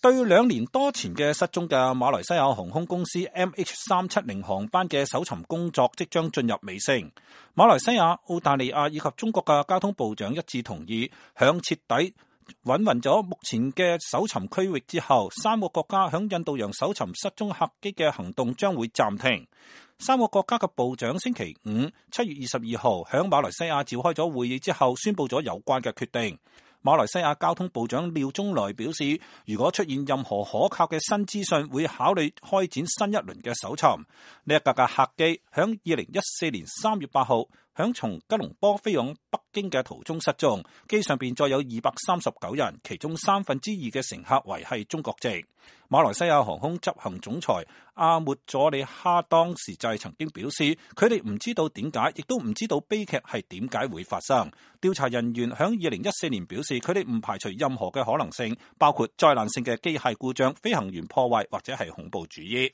對2年多前嘅失蹤嘅馬來西亞航空公司 MH370 航班嘅搜尋工作即將進入尾聲。馬來西亞、澳大利亞以及中國嘅交通部長一致同意，響徹底搵勻咗目前嘅搜尋區域之後，3個國家響印度洋搜尋失蹤客機嘅行動將會暫停。3個國家嘅部長星期五7月22號響馬來西亞召開咗會議之後，宣布咗有關嘅決定。馬來西亞交通部長廖中來表示，如果出現任何可靠嘅新資訊，會考慮開展新一輪嘅搜尋。呢一架嘅客機響2014年3月8號響從吉隆坡飛往北京嘅途中失蹤，機上邊載有239人，其中2/3嘅乘客為係中國籍。馬來西亞航空執行總裁阿末佐里哈當時就曾經表示，佢哋唔知道點解，亦都唔知道悲劇係點解會發生。調查人員響2014年表示，佢哋唔排除任何嘅可能性，包括災難性嘅機械故障、飛行員破壞或者係恐怖主義。